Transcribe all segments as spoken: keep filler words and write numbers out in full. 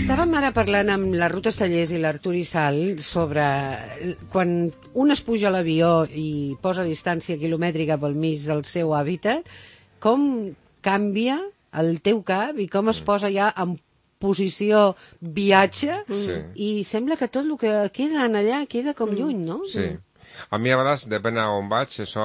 Estàvem ara parlant amb la Ruth Estellés i l'Artur Isal sobre quan un es puja a l'avió i posa distància quilomètrica pel mig del seu hàbitat, com canvia el teu cap i com es posa ja en posició viatge Sí. i sembla que tot el que queda en allà queda com lluny, no? Sí. A mi a vegades, depèn a on vaig, això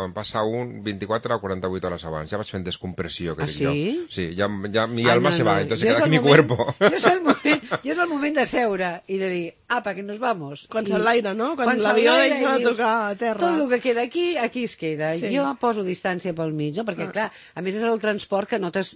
em passa un vint-i-quatre o quaranta-vuit hores abans. Ja vaig fent descompressió, que Ah, dic sí? jo. Sí, ja, ja mi Ai, alma no, se no. va, entonces Jo és queda aquí el mi moment- cuerpo. Jo és, el moment, jo és el moment de seure i de dir, apa, que nos vamos. Quan I- s'enlaira, no? Quan l'avió s'enlaira deixa i de dius, tocar a terra. Tot el que queda aquí, aquí es queda. Sí. Jo poso distància pel mig, no? Perquè, clar, a més és el transport que notes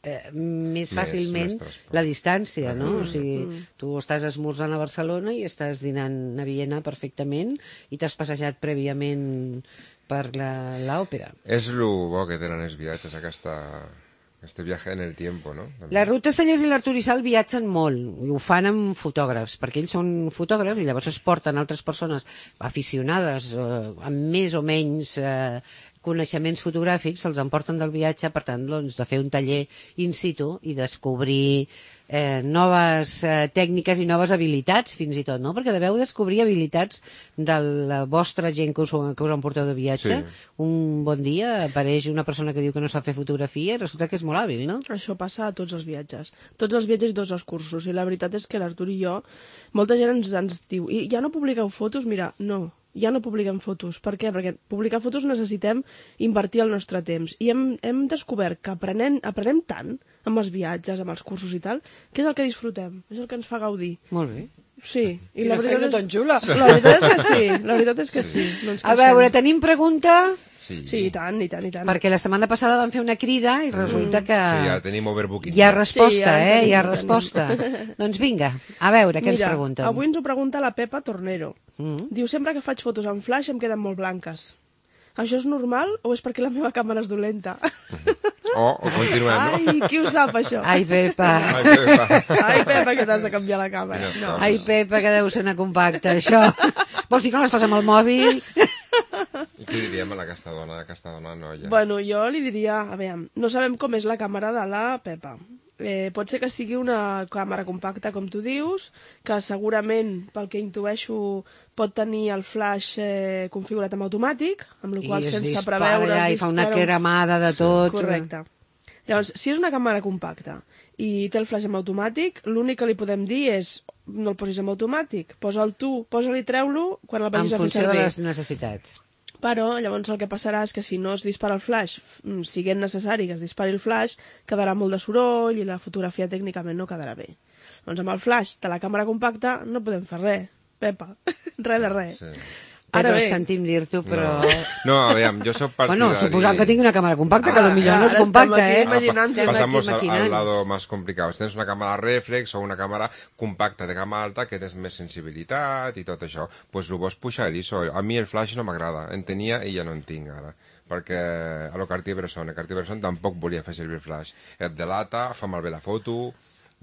eh, més fàcilment més transport. la distància, no? O sigui, tu estàs esmorzant a Barcelona i estàs dinant a Viena perfectament i t'has passejat prèviament per la- l'òpera. És el bo que tenen els viatges, aquesta, este viaje en el tiempo, no? La Ruth Estellés i l'Artur Isal viatgen molt, i ho fan amb fotògrafs, perquè ells són fotògrafs i llavors es porten altres persones aficionades, eh, amb més o menys eh, coneixements fotogràfics, se'ls emporten del viatge, per tant, doncs, de fer un taller in situ i descobrir eh, noves eh, tècniques i noves habilitats, fins i tot, no? Perquè deveu descobrir habilitats de la vostra gent que us, que us emporteu de viatge. Sí. Un bon dia apareix una persona que diu que no sap fer fotografia i resulta que és molt hàbil, no? Això passa a tots els viatges. Tots els viatges i tots els cursos. I la veritat és que l'Artur i jo, molta gent ens, ens diu, i ja no publiqueu fotos? Mira, no, ja no publiquem fotos. Per què? Perquè publicar fotos necessitem invertir el nostre temps. I hem, hem descobert que aprenem, aprenem tant amb els viatges, amb els cursos i tal, que és el que disfrutem, és el que ens fa gaudir. Molt bé. Sí. I Quina la veritat feina és... tan xula. La veritat és que sí, la veritat és que sí. No ens A queixem. veure, tenim pregunta, Sí, Sí, i tant, i tant, i tant. perquè la setmana passada van fer una crida i resulta que sí, ja tenim overbooking. hi ha resposta, Sí, ja en eh? tenim, Hi ha en tenim. resposta. Doncs vinga, a veure, què ens Mira, pregunten? avui ens ho pregunta la Pepa Tornero. Mm. Diu, sempre que faig fotos en flash em queden molt blanques. Això és normal o és perquè la meva càmera és dolenta? O, o continuem, no? Ai, qui ho sap, això? Ai, Pepa. Ai, Pepa. Ai, Pepa, que t'has de canviar la càmera. Quines No. coses. Ai, Pepa, que deu ser una compacta, això. Vols dir que no les fas amb el mòbil? I què diríem a aquesta dona, a aquesta dona noia? Bueno, jo li diria, a veure, no sabem com és la càmera de la Pepa. Eh, pot ser que sigui una càmera compacta, com tu dius, que segurament, pel que intueixo, pot tenir el flash eh, configurat en automàtic, amb la I qual es sense dispara preveure... allà es i fa una dispara un- cremada de tot. Correcte. Llavors, si és una càmera compacta i té el flash en automàtic, l'únic que li podem dir és no el posis en automàtic, posa'l tu, posa-li i treu-lo quan el En vagis a fer funció de servir. les necessitats. Però llavors el que passarà és que si no es dispara el flash, mm, siguent necessari que es dispari el flash, quedarà molt de soroll i la fotografia tècnicament no quedarà bé. Doncs amb el flash de la càmera compacta no podem fer res, Pepa, res de res. Sí. Ara Pepa, bé. sentim dir-t'ho, però... No, no a veure, jo soc partidari... Bueno, suposant que tingui una càmera compacta, que Ah, potser ja, no és ara compacta, estem aquí eh? imaginant- Estem aquí Pasamos al, maquinant. al lado más complicado. Si tens una càmera reflex o una càmera compacta de gamma alta que tens més sensibilitat i tot això, pues ho vols pujar a l'I S O. A mi el flash no m'agrada. En tenia i ja no en tinc ara. Perquè a lo Cartier-Bresson, el Cartier-Bresson tampoc volia fer servir el flash. Et delata, fa malbé la foto...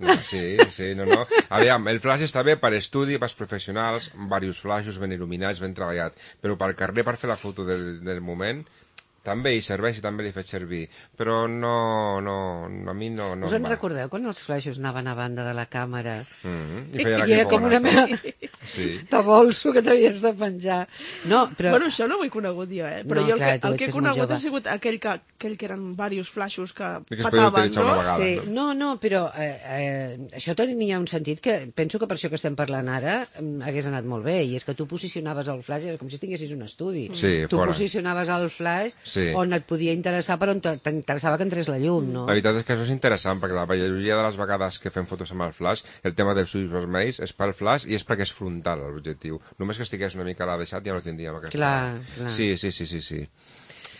No, sí, sí, no, no. A veure, el flash està bé per estudi, per professionals, diversos flashes ben il·luminats, ben treballat, però per carrer, per fer la foto del, del moment, també hi serveix i també l'he fet servir, però no, no, a mi no, no Us em en va. recordeu quan els flaixos anaven a banda de la càmera? Mm-hmm. I feia la I era com una cripona. mena Sí. de bolso que t'havies de penjar. No, però... Bueno, això no ho he conegut jo, eh? Però No, jo el clar, que, tu el ets que he que és molt conegut jove. ha sigut aquell que, aquell que eren diversos flaixos que I que es podia petaven, utilitzar no? una vegada. Sí, no, no, però eh, eh, això tenia un sentit que penso que per això que estem parlant ara mm, hagués anat molt bé, i és que tu posicionaves el flash, era com si tinguessis un estudi. Sí, tu fora. posicionaves el flash Sí. on et podia interessar per on t'interessava que entrés la llum, no? La veritat és que això és interessant, perquè la majoria de les vegades que fem fotos amb el flash, el tema dels ulls vermells és pel flash i és perquè és frontal l'objectiu. Només que estigués una mica a la deixat ja no tindríem aquesta... Clar, clar. Sí, sí, sí, sí, sí.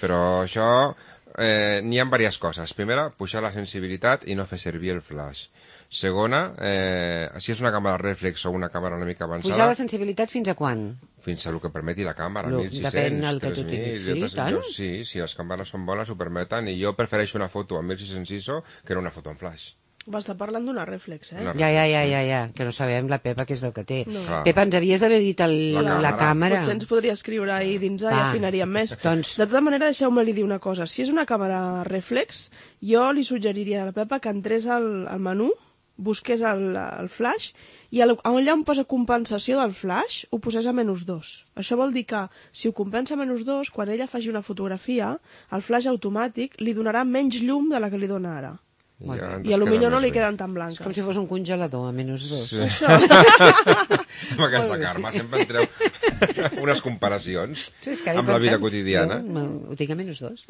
Però això... Eh, n'hi ha diverses coses. Primera, pujar la sensibilitat i no fer servir el flash. Segona, eh, si és una càmera reflex o una càmera una mica avançada... Pujar la sensibilitat fins a quan? Fins a el que permeti la càmera, Lo- mil sis-cents, depèn del que tu tres mil, tinguis. jo Sí, penso- tant? jo- Sí, si les càmeres són bones ho permeten, i jo prefereixo una foto amb mil sis-cents I S O que no una foto en flash. Va estar parlant d'una reflex, eh? Una Ja, ja, ja, ja, ja, que no sabem la Pepa què és el que té. No. Clar. Pepa, ens havies d'haver dit el, La la, càmera. càmera. Potser ens podria escriure ahir dins i Va. afinaríem més. Doncs- De tota manera, deixeu-me dir una cosa. Si és una càmera reflex, jo li suggeriria a la Pepa que entrés al, al menú busqués el, el flash i allà on posa compensació del flash ho posés a menys dos. Això vol dir que si ho compensa a menys dos, quan ella faci una fotografia, el flash automàtic li donarà menys llum de la que li dona ara. Ja I a lo millor no li bé. queden tan blanques. És com si fos un congelador a menys dos. Sí. Això. Amb aquesta Carme sempre en treu unes comparacions Sí, és que ara hi amb la vida pensem, quotidiana. Jo, ho tinc a menys dos.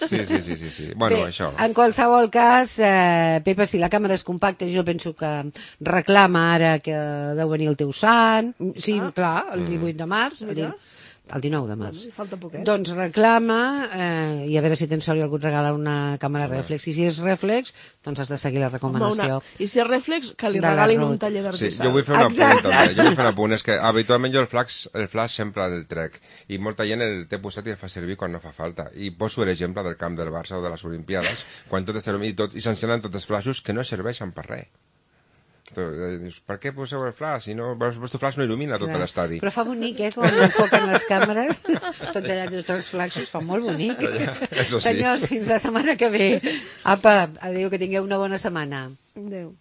Sí, sí, sí, sí, sí. Bueno, Bé, això. en qualsevol cas, eh, Pepa, si la càmera és compacta, jo penso que reclama ara que deu venir el teu sant. Sí, Ah. clar, el divuit de març. Mira. Mira. El dinou de març. Bueno, falta poquet. Doncs reclama, eh, i a veure si tens sort i algú et regala una càmera reflex. I si és reflex, doncs has de seguir la Home, recomanació. una... I si és reflex, que li de la regalin Ruth. un taller Sí, d'artesà. jo vull fer un apunt Exacte. també. Jo vull fer un apunt, és que habitualment jo el flash, el flash sempre el trec i molta gent el té posat i el fa servir quan no fa falta. I poso l'exemple del camp del Barça o de les Olimpiades, quan tot està il·luminat i, tot, i s'encenen tots els flaixos que no serveixen per res. Dius, per què poseu el flash? Si no, el vostre flash no il·lumina tot Clar. l'estadi. Però fa bonic, eh, quan enfoquen les càmeres. Tots allà, tots els flaxos, fa molt bonic. Això sí. Senyors, fins la setmana que ve. Apa, adéu, que tingueu una bona setmana. Adéu.